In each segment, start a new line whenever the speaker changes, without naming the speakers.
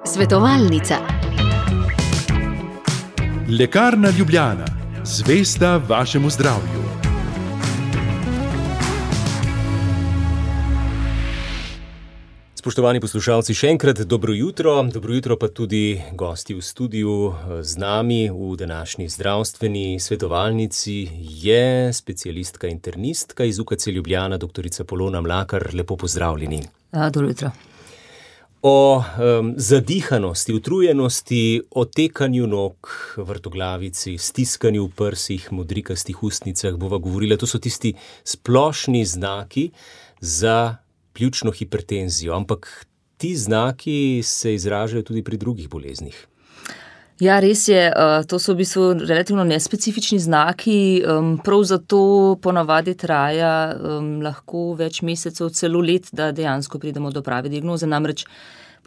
Svetovalnica.
Lekarna Ljubljana, zvesta vašemu zdravju.
Spoštovani poslušalci, še enkrat dobro jutro pa tudi gosti v studiu z nami v današnji zdravstveni svetovalnici je specialistka internistka iz UKC Ljubljana, doktorica Polona Mlakar. Lepo pozdravljeni.
Dobro jutro.
O zadihanosti, utrujenosti, otekanju nog, vrtoglavici, stiskanju v prsih, modrikastih ustnicah bova govorila. To so tisti splošni znaki za pljučno hipertenzijo, ampak ti znaki se izražajo tudi pri drugih boleznih.
Ja, res je, to so v bistvu relativno nespecifični znaki, prav zato ponavadi traja lahko več mesecev, celo let, da dejansko pridemo do prave diagnoze. Namreč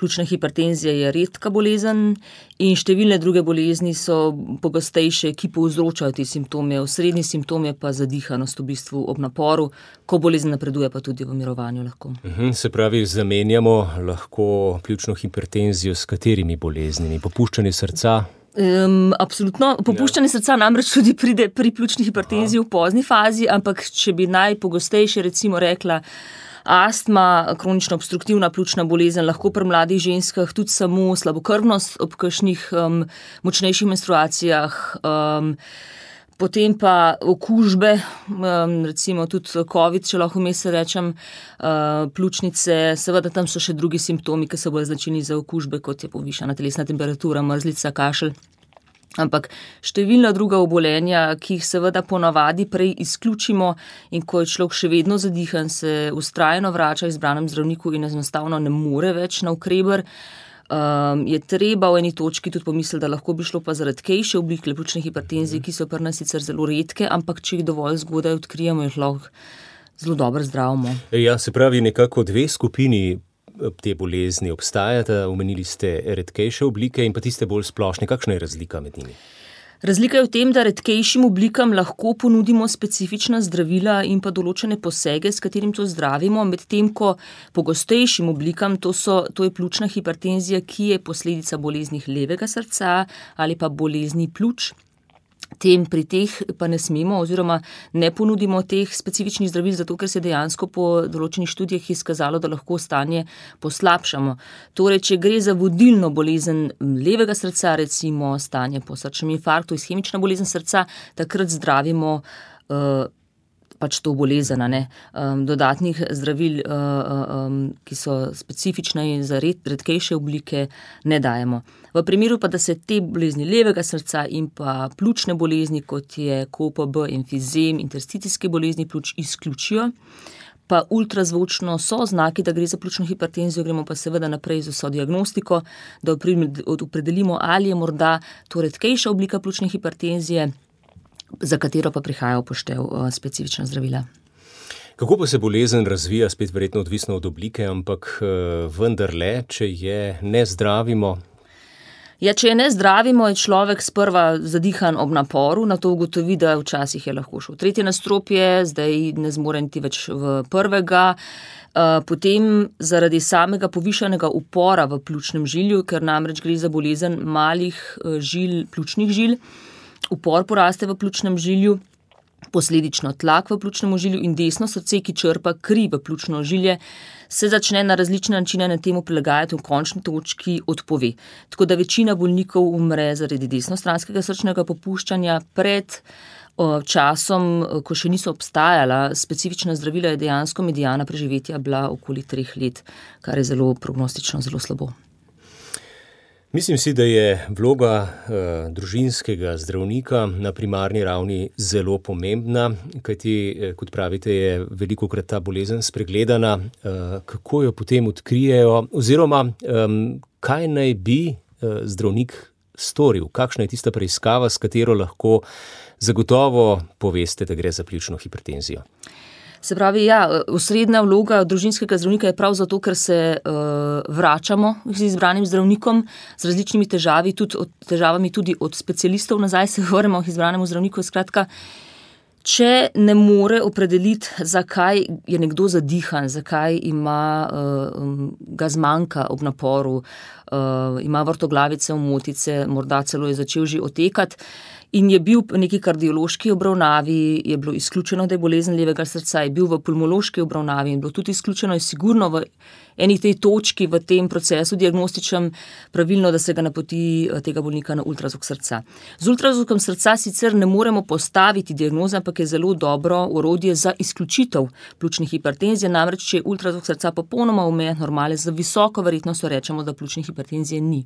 pljučna hipertenzija je redka bolezen in številne druge bolezni so pogostejše, ki povzročajo te simptome. Osrednji simptom je pa zadihanost v bistvu ob naporu, ko bolezen napreduje, pa tudi v mirovanju lahko.
Se pravi, zamenjamo lahko pljučno hipertenzijo s katerimi boleznimi? Popuščanje srca?
Absolutno. Popuščanje srca namreč tudi pride pri pljučni hipertenziji v pozni fazi, ampak če bi najpogostejše recimo rekla astma, kronično obstruktivna pljučna bolezen, lahko pri mladih ženskah tudi samo slabokrvnost ob kakšnih močnejših menstruacijah, potem pa okužbe, recimo tudi COVID, če lahko vmes rečem, pljučnice, seveda tam so še drugi simptomi, ki so bolj značilni za okužbe, kot je povišana telesna temperatura, mrzlica, kašelj. Ampak številna druga obolenja, ki jih seveda ponavadi prej izključimo in ko je človek še vedno zadihan, se vztrajno vrača izbranem zdravniku in enostavno ne more več na ukreber, je treba v eni točki tudi pomisliti, da lahko bi šlo pa za redkejše oblike pljučne hipertenzije, ki so pri nas sicer zelo redke, ampak če jih dovolj zgodaj odkrijemo, jih lahko zelo dobro zdravimo.
Ja, se pravi, nekako dve skupini te bolezni obstajata, omenili ste redkejše oblike in pa tiste bolj splošne. Kakšna je razlika med njimi?
Razlika je v tem, da redkejšim oblikam lahko ponudimo specifična zdravila in pa določene posege, s katerim to zdravimo, medtem ko pogostejšim oblikam, to je pljučna hipertenzija, ki je posledica bolezni levega srca ali pa bolezni pljuč. Pri teh pa ne smemo oziroma ne ponudimo teh specifičnih zdravil, zato ker se dejansko po določenih študijah izkazalo, da lahko stanje poslabšamo. Torej, če gre za vodilno bolezen levega srca, recimo stanje po srčnem infarktu, ishemična bolezen srca, takrat zdravimo pač to bolezen, dodatnih zdravil, ki so specifične za redkejše oblike, ne dajemo. V primeru pa, da se te bolezni levega srca in pa pljučne bolezni, kot je KOPB, emfizem, interstitiske bolezni pljuč, izključijo, pa ultrazvočno so znaki, da gre za pljučno hipertenzijo, gremo pa seveda naprej z vso diagnostiko, da opredelimo, ali je morda to redkejša oblika pljučne hipertenzije, za katero pa prihaja v poštev specifična zdravila.
Kako pa se bolezen razvija, spet verjetno odvisno od oblike, ampak vendarle, če je ne zdravimo?
Ja, če je ne zdravimo, je človek sprva zadihan ob naporu, nato ugotovi, da včasih je lahko šel v tretje nadstropje, zdaj ne zmore niti več v prvega, potem zaradi samega povišanega upora v pljučnem žilju, ker namreč gre za bolezen malih žil, pljučnih žil, upor poraste v pljučnem žilju, posledično tlak v pljučnem žilju in desno srce, ki črpa kri v pljučno žilje, se začne na različne načine na temu prilagajati v končni točki odpove. Tako da večina bolnikov umre zaradi desnostranskega srčnega popuščanja pred časom, ko še niso obstajala specifična zdravila, je dejansko mediana preživetja bila okoli 3 let, kar je zelo prognostično, zelo slabo.
Mislim si, da je vloga družinskega zdravnika na primarni ravni zelo pomembna, kajti, kot pravite, je velikokrat ta bolezen spregledana. Kako jo potem odkrijejo oziroma kaj naj bi zdravnik storil? Kakšna je tista preiskava, s katero lahko zagotovo poveste, da gre za pljučno hipertenzijo?
Se pravi, osrednja vloga družinskega zdravnika je prav zato, ker se vračamo z izbranim zdravnikom z različnimi težavami tudi od specialistov nazaj se vrnemo k izbranemu zdravniku. Skratka, Če ne more opredeliti, zakaj je nekdo zadihan, zakaj ga zmanjka ob naporu, ima vrtoglavice, omotice, morda celo je začel že otekati in je bil v neki kardiološki obravnavi, je bilo izključeno, da je bolezen levega srca, je bil v pulmološki obravnavi in bilo tudi izključeno, je sigurno v eni tej točki v tem procesu diagnostičnem pravilno, da se ga napoti tega bolnika na ultrazvok srca. Z ultrazvokom srca sicer ne moremo postaviti diagnoze, ampak je zelo dobro orodje za izključitev pljučne hipertenzije, namreč če je ultrazvok srca popolnoma omejen normale, z visoko verjetnostjo rečemo, da pljučne hipertenzije ni.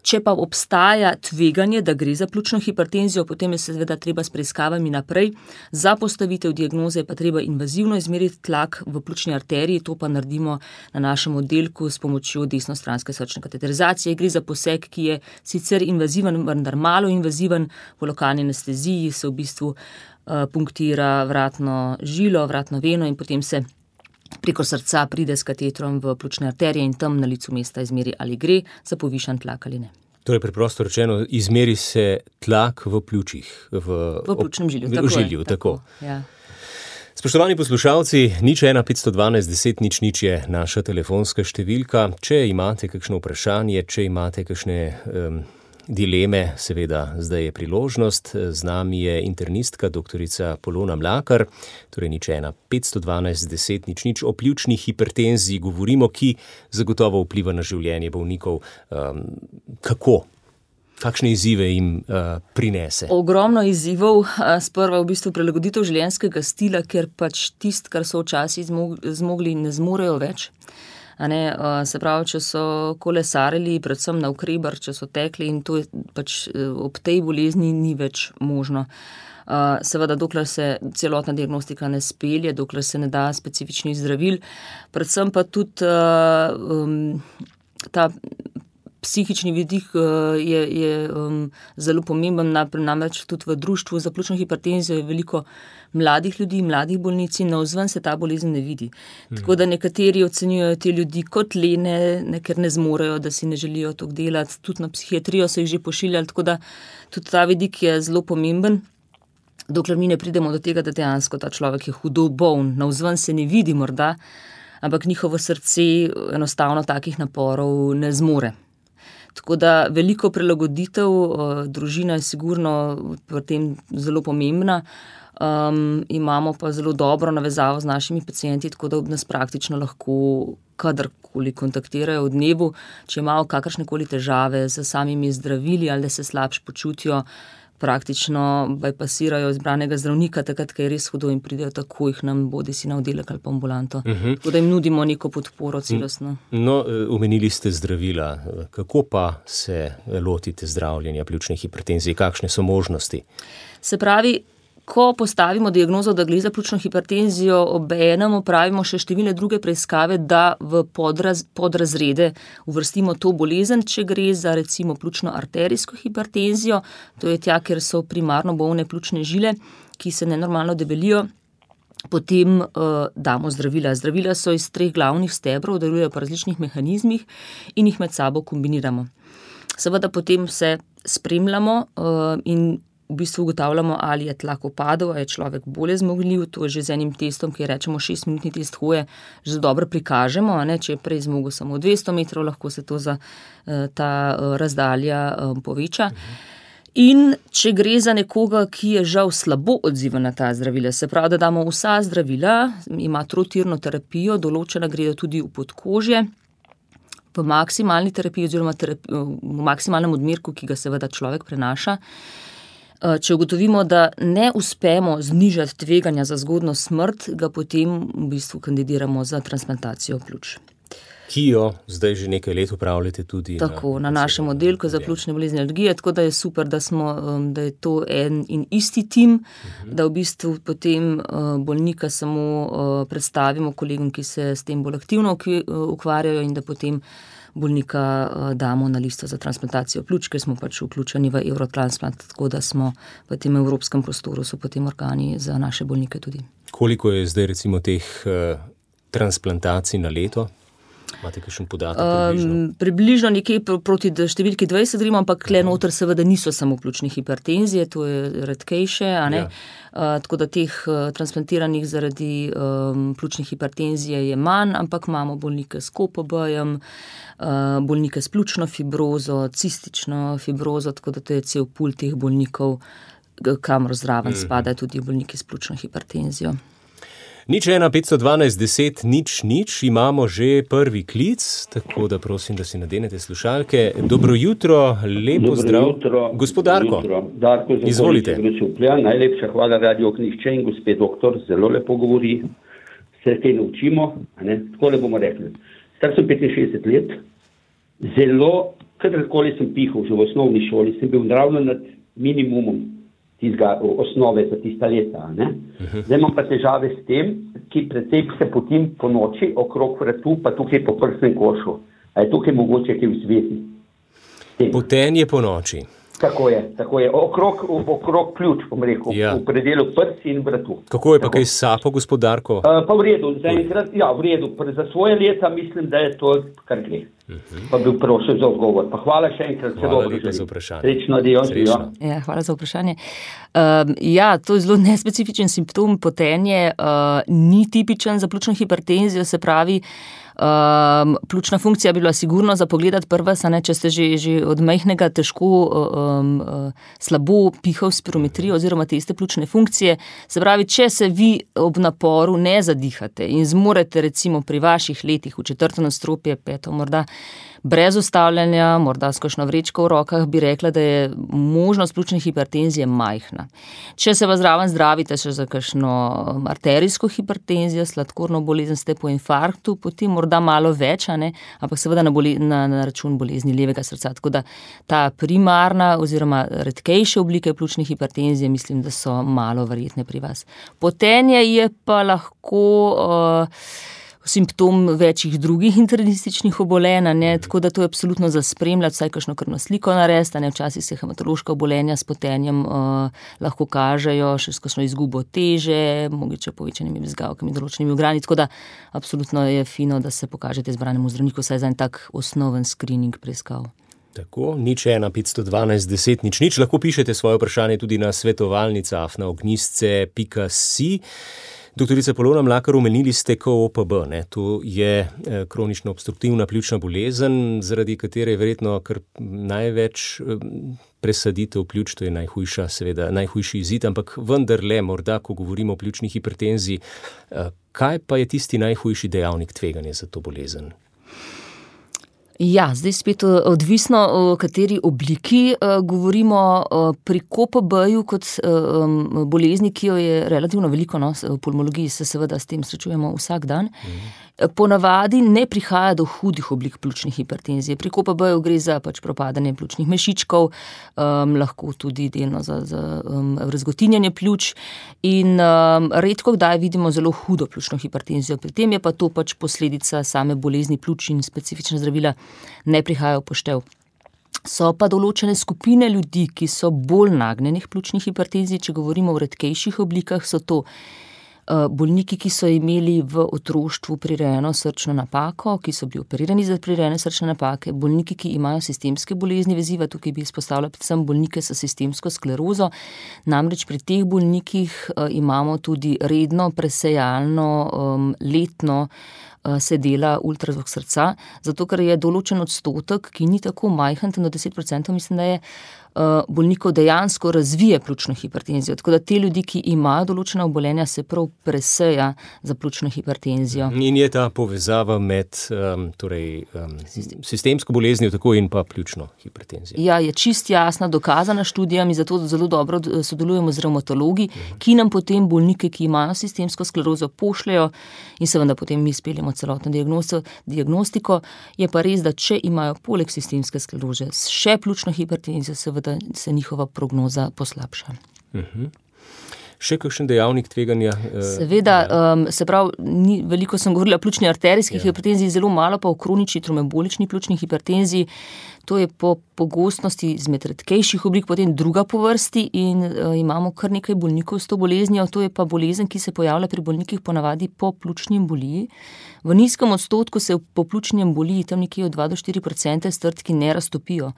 Če pa obstaja tveganje, da gre za pljučno hipertenzijo, potem je seveda treba s preiskavami naprej. Za postavitev diagnoze je pa treba invazivno izmeriti tlak v pljučni arteriji, to pa naredimo na našem oddelku s pomočjo desnostranske srčne kateterizacije. Gre za poseg, ki je sicer invaziven, vendar malo invaziven. V lokalni anesteziji se v bistvu punktira vratno žilo, vratno veno in potem se preko srca pride s katetrom v pljučne arterije in tam na licu mesta izmeri, ali gre za povišan tlak ali ne.
Torej, preprosto rečeno, izmeri se tlak v pljučih.
V pljučnem žilju,
v žilju, tako.
Ja.
Spoštovani poslušalci, 01 512 10 00 je naša telefonska številka. Če imate kakšno vprašanje, če imate kakšne dileme, seveda zdaj je priložnost. Z nami je internistka doktorica Polona Mlakar, torej 01 512 10 00. O pljučni hipertenziji govorimo, ki zagotovo vpliva na življenje bolnikov. Kako? Kakšne izzive jim prinese?
Ogromno izzivov. Sprva v bistvu prilagoditev življenjskega stila, ker pač tisto, kar so včasih zmogli, ne zmorejo več. Se pravi, če so kolesarili, predvsem na Ukrebar, če so tekli in to je pač ob tej bolezni ni več možno. Seveda, dokler se celotna diagnostika ne spelje, dokler se ne da specifičnih zdravil, predvsem pa tudi ta psihični vidik je zelo pomemben, namreč tudi v društvu za pljučno hipertenzijo je veliko mladih ljudi, mladih bolnic in navzven se ta bolezen ne vidi. Tako da nekateri ocenjujejo te ljudi kot lene, ker ne zmorejo, da si ne želijo toliko delati, tudi na psihiatrijo so jih že pošiljali, tako da tudi ta vidik je zelo pomemben. Dokler mi ne pridemo do tega, da dejansko ta človek je hudo boln, navzven se ne vidi morda, ampak njihovo srce enostavno takih naporov ne zmore. Tako da veliko prilagoditev, družina je sigurno pri tem zelo pomembna. Imamo pa zelo dobro navezavo z našimi pacienti, tako da nas praktično lahko kadarkoli kontaktirajo v dnevu, če imajo kakršnekoli težave z samimi zdravili ali da se slabše počutijo, praktično bypasirajo izbranega zdravnika, takrat, ko je res hudo in pridejo takoj k nam, bodisi na oddelek ali pa ambulanto. Tako da jim nudimo neko podporo celostno.
No, omenili ste zdravila. Kako pa se lotite zdravljenja pljučne hipertenzije? Kakšne so možnosti?
Se pravi, ko postavimo diagnozo, da gre za pljučno hipertenzijo, obenem opravimo še številne druge preiskave, da v podrazrede uvrstimo to bolezen, če gre za recimo pljučno arterijsko hipertenzijo, to je tja, kjer so primarno bolne pljučne žile, ki se nenormalno debelijo, potem damo zdravila. Zdravila so iz 3 glavnih stebrov, delujejo po različnih mehanizmih in jih med sabo kombiniramo. Seveda potem se spremljamo in v bistvu ugotavljamo, ali je tlak upadel, ali je človek bolje zmogljiv. To je že z enim testom, ki rečemo 6-minutni test hoje, že dobro prikažemo, če je prej zmogel samo 200 metrov, lahko se to za ta razdalja poveča. In če gre za nekoga, ki je žal slabo odziven na ta zdravila, se pravi, da damo vsa zdravila, ima trotirno terapijo, določena gredo tudi v podkožje, v maksimalni terapiji oziroma v maksimalnem odmerku, ki ga seveda človek prenaša. Če ugotovimo, da ne uspemo znižati tveganja za zgodnjo smrt, ga potem v bistvu kandidiramo za transplantacijo pljuč.
Ki jo zdaj že nekaj let upravljate tudi
tako, na našem oddelku za pljučne bolezni in alergije, tako da je super, da je to en in isti tim, da v bistvu potem bolnika samo predstavimo kolegom, ki se s tem bolj aktivno ukvarjajo in da potem bolnika damo na listo za transplantacijo pljuč, ker smo pač vključeni v Eurotransplant, tako da smo v tem evropskem prostoru, so potem organi za naše bolnike tudi.
Koliko je zdaj recimo teh transplantacij na leto? Imate kakšen podatek?
Približno nekje proti številki 20 gremo, ampak tle noter seveda niso samo pljučne hipertenzije, to je redkejše, a ne? Tako da teh transplantiranih zaradi pljučne hipertenzije je manj, ampak imamo bolnike s KOPB-jem, bolnike s pljučno fibrozo, cistično fibrozo, tako da to je cel pul teh bolnikov, kamor zraven spadajo tudi bolniki s pljučno hipertenzijo.
01 512 10 0 0, imamo že prvi klic, tako da prosim, da si nadenete slušalke. Dobro jutro, lepo zdrav. Gospod Darko, izvolite.
Najlepša hvala Radio Knihče in gospod doktor, zelo lepo govori, se kaj naučimo, tako le bomo rekli. Star sem 65 let, zelo, kadarkoli sem pihal že v osnovni šoli, sem bil ravno nad minimumom tistega osnove za tista leta. Zdaj imam pa težave s tem, ki predvsej se potim po noči okrog vratu, pa tukaj po prsnem košu. A je tukaj mogoče kaj v zvezi?
Potenje po noči.
Tako je. Okrog pljuč, bom rekel, v predelu prsi in vratu.
Kako je pa kaj sapo, gospod Darko?
Pa v redu, zaenkrat, v redu. Za svoje leta mislim, da je to kar gre. Pa bil prosil za odgovor. Pa hvala še enkrat.
Hvala lepa za vprašanje.
Srečno, adios.
Ja, hvala za vprašanje. To je zelo nespecifičen simptom. Potenje ni tipičen za pljučno hipertenzijo, se pravi, pljučna funkcija bi bila sigurno za pogledati prva, če ste že od majhnega težko slabo pihal spirometrijo oziroma teste pljučne funkcije. Se pravi, če se vi ob naporu ne zadihate in zmorete recimo pri vaših letih v 4. nadstropje, 5. morda, brez ustavljanja, morda s kakšno vrečko v rokah, bi rekla, da je možnost pljučne hipertenzije majhna. Če se vas zraven zdravite še za kakšno arterijsko hipertenzijo, sladkorno bolezen, ste po infarktu, potem morda malo več, ampak seveda na račun bolezni levega srca. Tako da ta primarna oziroma redkejše oblike pljučne hipertenzije mislim, da so malo verjetne pri vas. Potenje je pa lahko simptom večjih drugih internističnih obolenj, tako da to je absolutno za spremljati, vsaj kakšno krvno sliko narediti, včasih se hematološka obolenja s potenjem lahko kažejo, še s kakšno izgubo teže, mogoče povečanimi bezgavkami, določenimi ugrani, tako da absolutno je fino, da se pokažete izbranemu zdravniku, saj za en tak osnoven screening preiskav.
Tako, 01 512 10 0, lahko pišete svoje vprašanje tudi na svetovalnica@ognjisce.si. Doktorica Polona Mlakar, omenili ste KOPB, to je kronično obstruktivna pljučna bolezen, zaradi katere je verjetno kar največ presaditev pljuč, to je najhujši izid, ampak vendarle, morda, ko govorimo o pljučni hipertenziji, kaj pa je tisti najhujši dejavnik tveganja za to bolezen?
Ja, zdaj spet odvisno, o kateri obliki govorimo. Pri KOPB-ju kot bolezni, ki jo je relativno veliko, v pulmologiji se seveda s tem srečujemo vsak dan, ponavadi ne prihaja do hudih oblik pljučne hipertenzije. Pri KOPB-ju gre za propadanje pljučnih mešičkov, lahko tudi delno za razgotinjanje pljuč in redko kdaj vidimo zelo hudo pljučno hipertenzijo. Pri tem je pa to posledica same bolezni pljuč in specifična zdravila ne prihajajo v poštev. So pa določene skupine ljudi, ki so bolj nagnjeni k pljučni hipertenziji, če govorimo o redkejših oblikah, so to bolniki, ki so imeli v otroštvu prirejeno srčno napako, ki so bili operirani za prirejene srčne napake, bolniki, ki imajo sistemske bolezni veziva, tukaj bi izpostavila predvsem bolnike s sistemsko sklerozo, namreč pri teh bolnikih imamo tudi redno presejalno letno se dela ultrazvok srca, zato ker je določen odstotek, ki ni tako majhen, do 10%, mislim, da je bolnikov dejansko razvije pljučno hipertenzijo. Tako da te ljudi, ki imajo določena obolenja, se prav preseja za pljučno hipertenzijo. In
je ta povezava med sistemsko boleznijo tako in pa pljučno hipertenzijo?
Ja, je čist jasna, dokazana študijami, zato zelo dobro sodelujemo z revmatologi, ki nam potem bolnike, ki imajo sistemsko sklerozo, pošljajo in seveda potem mi speljemo celotno diagnostiko. Je pa res, da če imajo poleg sistemske skleroze še pljučno hipertenzijo, seveda se njihova prognoza poslabša.
Še kakšen dejavnik tveganja?
Seveda, se pravi, veliko sem govorila o pljučni arterijski hipertenziji, zelo malo pa o kronični trombembolični pljučni hipertenziji. To je po pogostnosti izmed redkejših oblik, potem druga po vrsti in imamo kar nekaj bolnikov s to boleznijo. To je pa bolezen, ki se pojavlja pri bolnikih ponavadi po pljučni emboliji. V nizkem odstotku se po pljučni emboliji, tam nekje od 2 do 4% strdki ne raztopijo.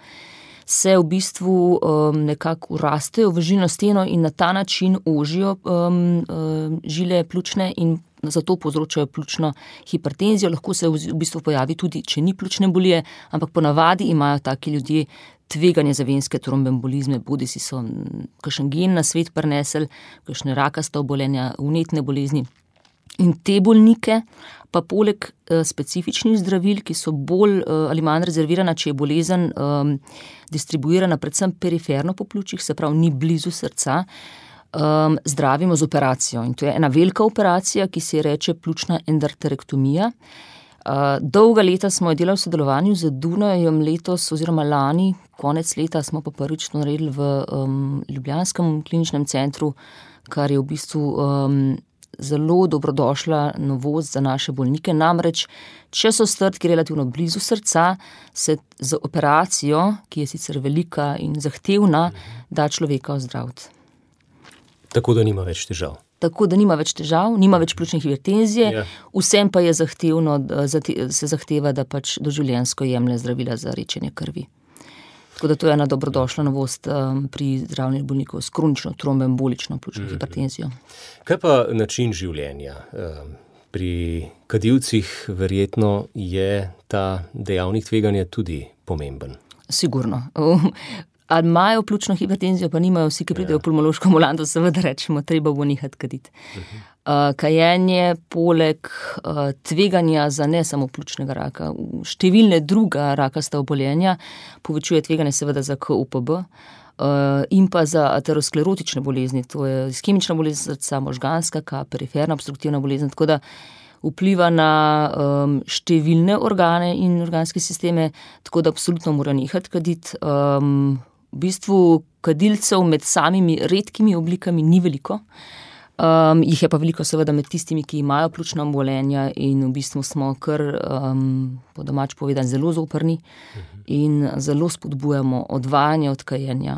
Se v bistvu nekako urastejo v žilno steno in na ta način ožijo žile pljučne in zato povzročajo pljučno hipertenzijo. Lahko se v bistvu pojavi tudi, če ni pljučne embolije, ampak ponavadi imajo taki ljudje tveganje za venske trombembolizme, bodisi so kakšen gen na svet prinesli, kakšne rakasta obolenja, vnetne bolezni. In te bolnike pa poleg specifičnih zdravil, ki so bolj ali manj rezervirana, če je bolezen distribuirana predvsem periferno po pljučih, se pravi ni blizu srca, zdravimo z operacijo. In to je ena velika operacija, ki se reče pljučna endarterektomija. Dolga leta smo jo delali v sodelovanju z Dunajem, letos oziroma lani, konec leta smo pa prvič to naredili v ljubljanskem kliničnem centru, kar je v bistvu zelo dobrodošla novost za naše bolnike. Namreč, če so strdki relativno blizu srca, se z operacijo, ki je sicer velika in zahtevna, da človeka ozdraviti.
Tako da nima več težav.
Tako da nima več težav, nima več pljučne hipertenzije, vsem pa je zahtevno, se zahteva, da pač doživljenjsko jemlje zdravila za redčenje krvi. Tako da to je ena dobrodošla novost pri zdravljenju bolnikov s kronično trombembolično pljučno hipertenzijo.
Kaj pa način življenja? Pri kadilcih verjetno je ta dejavnik tveganja tudi pomemben.
Sigurno. Ali imajo pljučno hipertenzijo, pa nimajo vsi, ki pridejo v pulmološko ambulanto, seveda rečemo, treba bo nehati kaditi. Kajenje poleg tveganja za ne samo pljučnega raka, številne druga rakasta obolenja, povečuje tveganje seveda za KUPB in pa za aterosklerotične bolezni, to je iskemična bolezen srca, možganska, periferna obstruktivna bolezen, tako da vpliva na številne organe in organske sisteme, tako da absolutno mora nehati kaditi. V bistvu kadilcev med samimi redkimi oblikami ni veliko. Jih je pa veliko seveda med tistimi, ki imajo pljučna obolenja in v bistvu smo kar, po domač povedano, zelo zoprni in zelo spodbujamo odvajanje od kajenja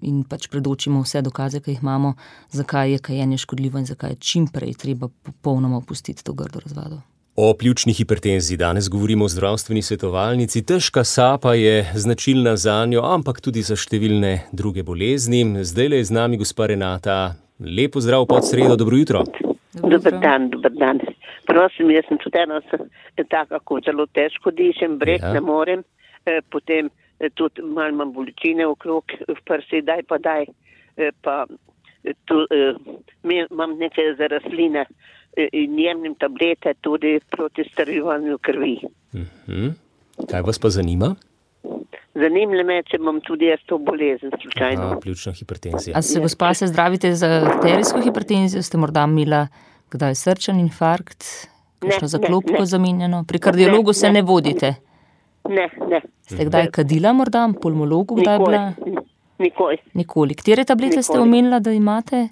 in pač predočimo vse dokaze, ki jih imamo, zakaj je kajenje škodljivo in zakaj je čim prej treba popolnoma opustiti to grdo razvado.
O pljučni hipertenziji danes govorimo v zdravstveni svetovalnici. Težka sapa je značilna zanjo, ampak tudi za številne druge bolezni. Zdajle je z nami gospa Renata. Lepo zdrav pod sredo, dobro jutro.
Dober dan. Prosim, jaz sem tudi ena taka, ko zelo težko dišem, brek ne morem, potem tudi malo imam bolečine okrog v prsi, daj, pa tu imam neke za rastline in jemnim tablete tudi proti strjevanju krvi.
Kaj vas pa zanima?
Zanimljivo me, če imam tudi jaz to bolezen slučajno.
Pljučna hipertenzija.
A se gospa se zdravite za arterijsko hipertenzijo? Ste morda imela kdaj srčen infarkt? Kakšno zaklopko zamenjano? Pri kardiologu se ne vodite?
Ne.
Ste kdaj kadila morda? Pulmologu kdaj bila?
Nikoli.
Katere tablete ste omenila, da imate?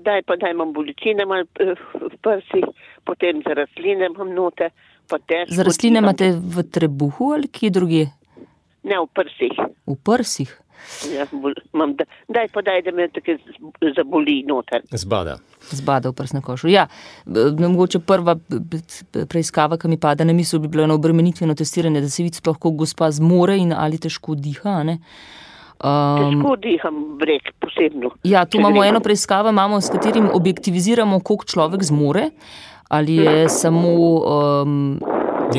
Daj imam bolečine malo v prsi, potem za rastline imam note.
Za rastline imate v trebuhu ali kje drugje?
Ne, v prsih.
V prsih?
Ja, daj, da me tako zaboli noter.
Zbada
v prsnem košu. Ja, mogoče prva preiskava, ki mi pada na misel, bi bilo eno obremenitveno testiranje, da se vidi sploh, kako gospa zmore in ali težko diha, ne?
Težko diham, brek, posebno.
Ja, tu imamo eno preiskavo, s katerim objektiviziramo, koliko človek zmore, ali je samo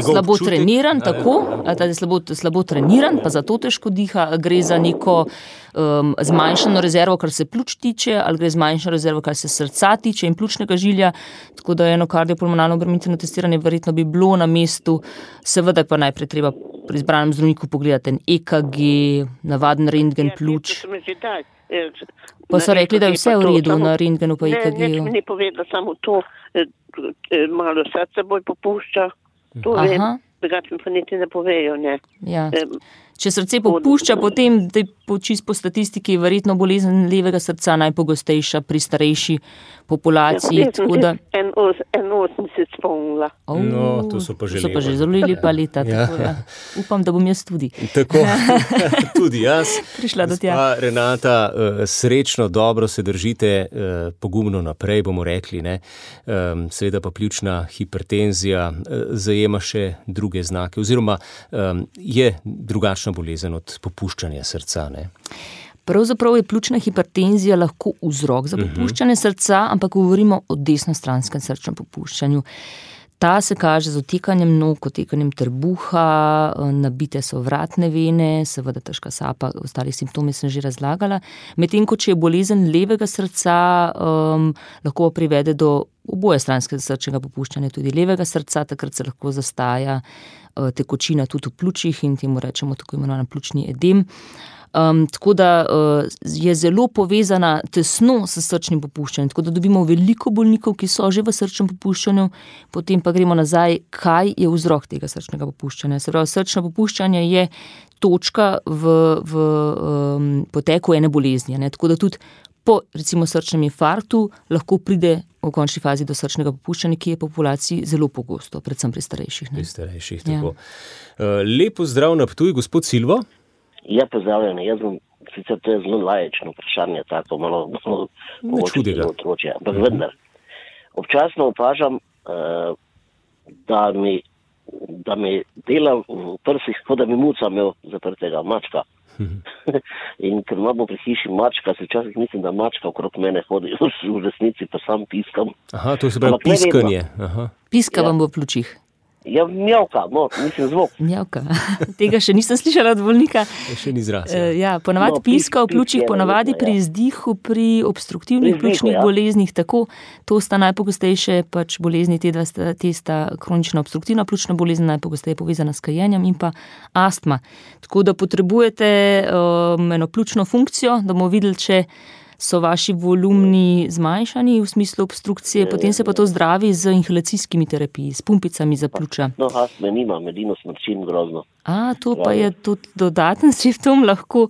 slabo treniran, tako, ali je slabo treniran, pa zato težko diha, gre za neko zmanjšano rezervo, kar se pljuč tiče, ali gre zmanjšano rezervo, kar se srca tiče in pljučnega žilja, tako da eno kardiopulmonalno obremenitveno testiranje verjetno bi bilo na mestu, seveda pa najprej treba pri izbranem zdravniku pogledati en EKG, navaden rentgen pljuč. Pa so rekli, da je vse v redu na rentgenu pa EKG-ju.
Ne, ni povedala samo to, malo srce bolj popušča, to vem, drugače mi pa niti ne povejo, ne.
Ja. Če srce popušča, potem čisto po statistiki je verjetno bolezen levega srca najpogostejša pri starejši populaciji.
81 spomnila.
No, to so pa že
zelo lepa leta. Upam, da bom jaz tudi.
Tako, tudi jaz.
Prišla do tja.
Pa Renata, srečno, dobro se držite, pogumno naprej, bomo rekli, ne. Seveda pa pljučna hipertenzija zajema še druge znake, oziroma je drugačna bolezen od popuščanja srca, ne.
Pravzaprav je pljučna hipertenzija lahko vzrok za popuščanje srca, ampak govorimo o desnostranskem srčnem popuščanju. Ta se kaže z otekanjem nog, otekanjem trebuha, nabite so vratne vene, seveda težka sapa, ostali simptomi sem že razlagala. Medtem ko če je bolezen levega srca, lahko privede do obojestranskega srčnega popuščanja, tudi levega srca, takrat se lahko zastaja tekočina tudi v pljučih in temu rečemo tako imenovan pljučni edem. Tako da je zelo povezana tesno s srčnim popuščanjem, tako da dobimo veliko bolnikov, ki so že v srčnem popuščanju, potem pa gremo nazaj, kaj je vzrok tega srčnega popuščanja. Se pravi, srčno popuščanje je točka v poteku ene bolezni, ne? Tako da tudi po recimo srčnem infarktu lahko pride v končni fazi do srčnega popuščanja, ki je v populaciji zelo pogosto, predvsem pri starejših.
Pri starejših, tako. Lep pozdrav na Ptuj, gospod Silvo.
Ja, pozdravljeni. Jaz bom, sicer to je zelo laječno vprašanje, tako malo
čudega.
Ampak vendar, občasno opažam, da mi dela v prsih, kot da mi muca imel zaprtega mačka. In ker imamo pri hiši mačka, se včasih mislim, da mačka okrog mene hodi, v resnici pa sam piskam.
Aha, to se pravi piskanje.
Piska vam v pljučih.
Ja, mjavka, mislim zvok.
Mjavka. Tega še nisem slišala od bolnika.
Še ni izraz.
Ponavadi piska v pljučih, ponavadi pri izdihu, pri obstruktivnih pljučnih boleznih, tako, to sta najpogostejše pač bolezni, te sta kronična obstruktivna pljučna bolezen, najpogosteje povezana s kajenjem in pa astma. Tako da potrebujete eno pljučno funkcijo, da bomo videli, če so vaši volumni zmanjšani v smislu obstrukcije, potem se pa to zdravi z inhalacijskimi terapiji, s pumpicami za pljuča.
No, astme nimam, edino smrčim grozno.
To pa je tudi dodaten simptom, lahko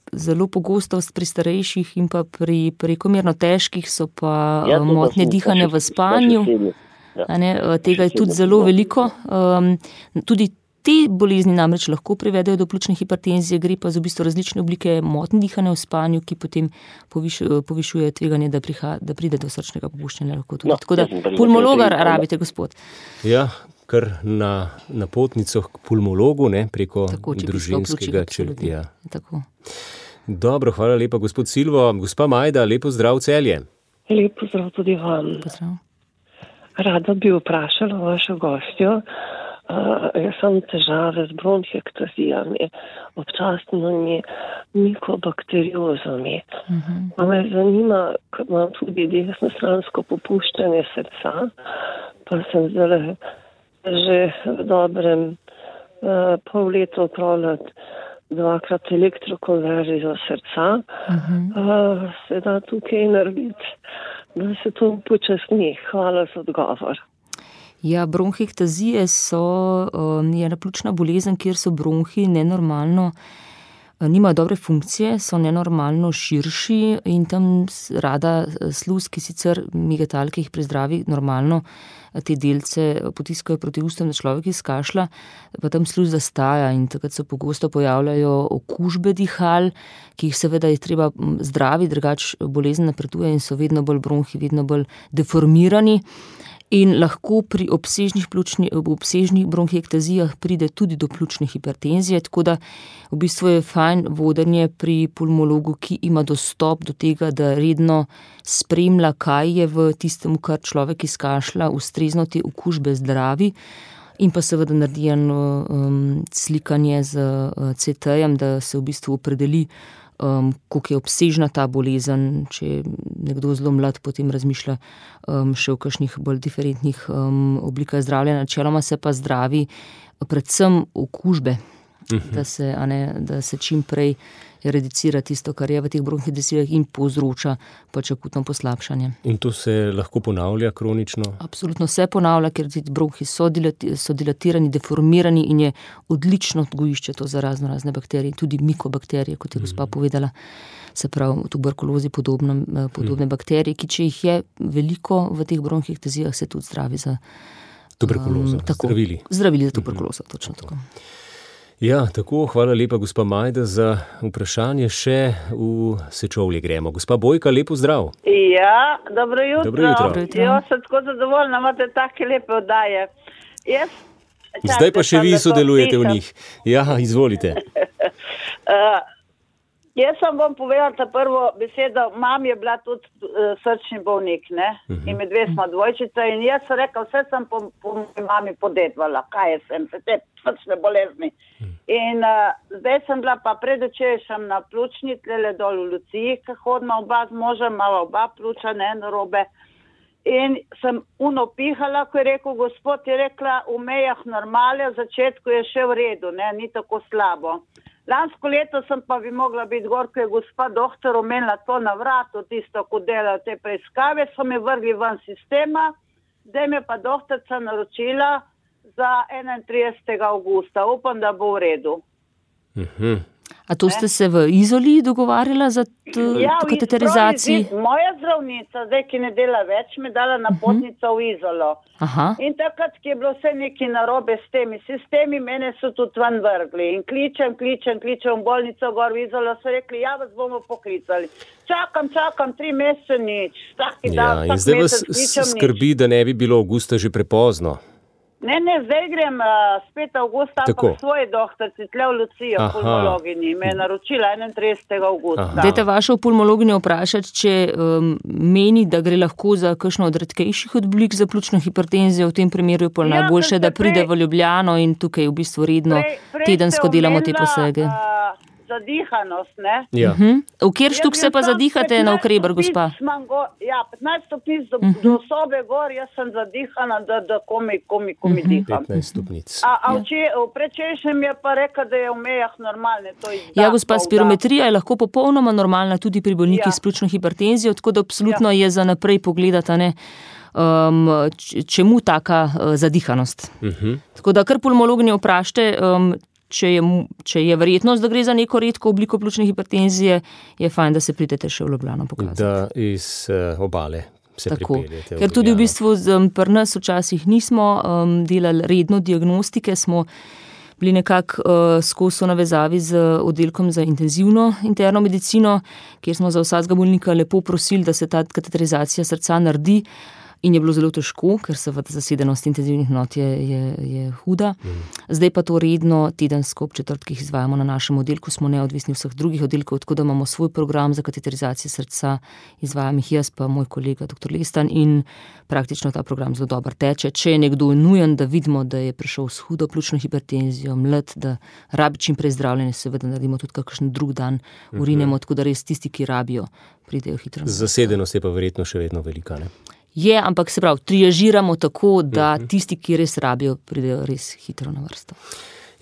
zelo pogostost pri starejših in pa pri prekomerno težkih so pa motnje dihanja v spanju. Tega je tudi zelo veliko. Tudi te bolezni namreč lahko privedejo do pljučne hipertenzije, gre pa za v bistvu različne oblike motnj dihanja v spanju, ki potem povišujejo tveganje, da pride do srčnega popuščanja. Tako da pulmologa rabite, gospod.
Ja, kar na napotnico k pulmologu, ne, preko družinskega črtija.
Tako.
Dobro, hvala lepa, gospod Silvo. Gospa Majda, lepo zdrav Celje.
Lep pozdrav tudi vam.
Pozdrav.
Rada bi vprašala vašo gostjo. Jaz sem težave z bronhiektazijami, občasnimi mikobakteriozami. Me zanima, ker imam tudi desnostransko popuščanje srca, pa sem zdaj že v dobrem pol leta opravljati 2-krat elektrokonverzijo srca. Se da tukaj narediti, da se to upočasni. Hvala za odgovor.
Ja, bronhiektazije je ena pljučna bolezen, kjer so bronhi nenormalno, nimajo dobre funkcije, so nenormalno širši in tam rada sluz, ki sicer megatal, ki jih prezdravi normalno, te delce potiskajo proti ustom, da človek izkašlja, pa tam sluz zastaja in takrat se pogosto pojavljajo okužbe dihal, ki jih seveda je treba zdraviti, drugače bolezen napreduje in so vedno bolj bronhi, vedno bolj deformirani. In lahko pri obsežnih bronhiektazijah pride tudi do pljučne hipertenzije, tako da v bistvu je fajn vodenje pri pulmologu, ki ima dostop do tega, da redno spremlja, kaj je v tistem, kar človek izkašlja, ustrezno te okužbe zdravi in pa seveda naredi slikanje z CT-jem, da se v bistvu opredeli, koliko je obsežna ta bolezen, če je nekdo zelo mlad, potem razmišlja še o kakšnih bolj diferentnih oblikah zdravljenja. Načeloma se pa zdravi predvsem okužbe, da se čim prej eredicira tisto, kar je v teh bronhidesilah in povzroča pač akutno poslabšanje.
In to se lahko ponavlja kronično?
Absolutno se ponavlja, ker ti bronhi so dilatirani, deformirani in je odlično gojišče to za razne bakterije, tudi mikobakterije, kot je gospa povedala, se pravi v tuberkulozi podobne bakterije, ki če jih je veliko v teh bronhidesijah, se tudi zdravi za
tuberkulozo,
zdravili za tuberkulozo, točno tako.
Ja, tako, hvala lepa, gospa Majda, za vprašanje. Še v Sečovlje gremo. Gospa Bojka, lepo zdrav.
Ja, dobro jutro.
Dobro jutro.
Jaz sem tako zadovoljna, imate take lepe oddaje.
Zdaj pa še vi sodelujete v njih. Ja, izvolite.
Jaz sem vam povedala ta prvo besedo, mam je bila tudi srčni bolnik, ne? In med dve smo dvojčica in jaz sem rekla, vse sem po mami podedvala, kaj sem, se te srčne bolezni. In zdaj sem bila pa predvčerajšnjem na pljučni, tlele dol v Luciji, ki hodima oba z možem, imava oba pljuča, ne narobe. In sem pihala, ko je rekel gospod, je rekla, v mejah normale, v začetku je še v redu, ne, ni tako slabo. Lansko leto sem pa bi mogla biti gor, ko je gospa doktor omenila to na vratu, tisto, ko dela te preiskave, so me vrgli ven sistema, zdaj me pa doktorca naročila za 31. augusta. Upam, da bo v redu.
A to ste se v Izoli dogovarjala za kateterizaciji?
Moja zdravnica, zdaj, ki ne dela več, me dala napotnico v Izolo.
Aha.
In takrat, ki je bilo vse neki narobe s temi sistemi, mene so tudi ven vrgli. In kličem v bolnico gor v Izolo, so rekli, ja, vas bomo poklicali. Čakam, 3 mesece nič.
In zdaj vas skrbi, da ne bi bilo avgusta že prepozno.
Ne, zdaj grem spet avgusta, ampak svoje doktorci, tle v Lucijo, pulmologini, me je naročila 31. augusta.
Dajte vašo pulmologinjo vprašati, če meni, da gre lahko za kakšno od redkejših oblik za pljučno hipertenzijo, v tem primeru je pa najboljše, da pride v Ljubljano in tukaj v bistvu redno tedensko delamo te posege.
Zadihanost, ne?
Ja.
V kjer štuk se pa zadihate na Ukreber, gospa?
Ja, 15 stopnic do sobe gor, jaz sem zadihana, da komi diham.
15 stopnic.
Prečešem je pa rekel, da je v mejah normalne.
Ja, gospa, spirometrija je lahko popolnoma normalna tudi pri bolnikih s pljučno hipertenzijo, tako da absolutno je za naprej pogledati, ne? Čemu taka zadihanost. Tako da kar pulmologinjo vprašajte, če je verjetnost, da gre za neko redko obliko pljučne hipertenzije, je fajn, da se pridete še v Ljubljano pokazati.
Da iz obale se pripeljete.
Ker tudi v bistvu pri nas včasih nismo delali redno diagnostike, smo bili nekako skozi navezavi z oddelkom za intenzivno interno medicino, kjer smo za vsakega bolnika lepo prosili, da se ta kateterizacija srca naredi. In je bilo zelo težko, ker seveda zasedenost intenzivnih enot je huda. Zdaj pa to redno tedensko ob četrtkih izvajamo na našem oddelku, smo neodvisni vseh drugih oddelkov, tako da imamo svoj program za kateterizacijo srca, izvajam jih jaz pa moj kolega dr. Lestan in praktično ta program zelo dobro teče. Če je nekdo nujen, da vidimo, da je prišel s hudo pljučno hipertenzijo, mlad, da rabi čim prej zdravljenje, seveda naredimo tudi kakšen drug dan, urinemo, tako da res tisti, ki rabijo, pridejo hitro.
Zasedenost je pa verjetno še vedno velika, ne?
Je, ampak se pravi, triažiramo tako, da tisti, ki res rabijo, pridejo res hitro na vrsto.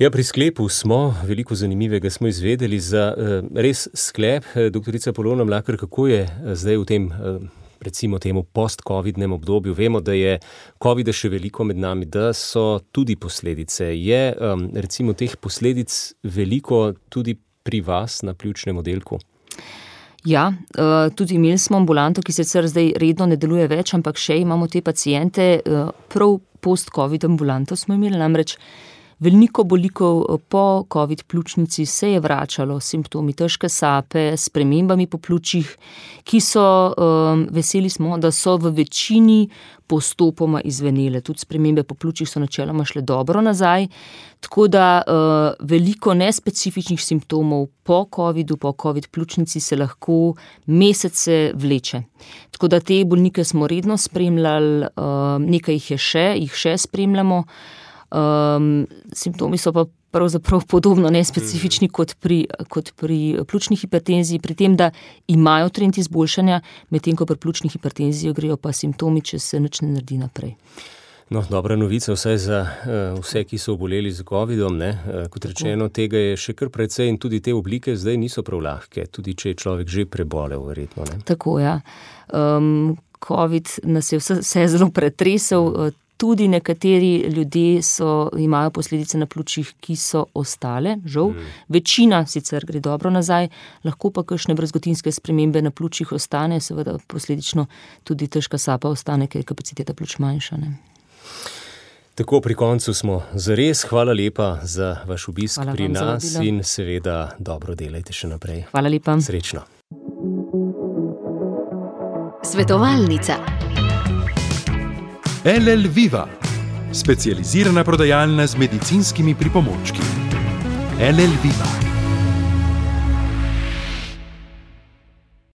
Ja, pri sklepu smo, veliko zanimivega smo izvedeli za res sklep. Doktorica Polona Mlakar, kako je zdaj v tem, recimo temu post-covidnem obdobju? Vemo, da je covida še veliko med nami, da so tudi posledice. Je recimo teh posledic veliko tudi pri vas na pljučnem oddelku?
Ja, tudi imeli smo ambulanto, ki sicer zdaj redno ne deluje več, ampak še imamo te paciente, prav post-covid ambulanto smo imeli, namreč veliko bolnikov po covid pljučnici se je vračalo s simptomi težke sape, s spremembami po pljučih, ki so, veseli smo, da so v večini postopoma izvenele. Tudi spremembe po pljučih so načeloma šle dobro nazaj, tako da veliko nespecifičnih simptomov po covidu, po covid pljučnici se lahko mesece vleče. Tako da te bolnike smo redno spremljali, nekaj jih še spremljamo. Simptomi so pa pravzaprav podobno nespecifični kot pri pljučni hipertenziji, pri tem, da imajo trend izboljšanja, medtem ko pri pljučni hipertenziji grejo pa simptomi, če se nič ne naredi naprej.
No, dobra novica vsaj za vse, ki so oboleli z COVID-om. Kot rečeno, tega je še kar precej in tudi te oblike zdaj niso prav lahke, tudi če je človek že prebolel, verjetno. Ne?
Tako, ja. COVID nas je vse zelo pretresel, tudi nekateri ljudje imajo posledice na pljučih, ki so ostale, žal. Večina sicer gre dobro nazaj, lahko pa kakšne brazgotinske spremembe na pljučih ostane, seveda posledično tudi težka sapa ostane, ker je kapaciteta pljuč manjša. Ne?
Tako, pri koncu smo zares. Hvala lepa za vaš obisk pri nas in seveda dobro delajte še naprej.
Hvala lepa.
Srečno.
Svetovalnica.
LL Viva, specializirana prodajalna z medicinskimi pripomočki. LL Viva.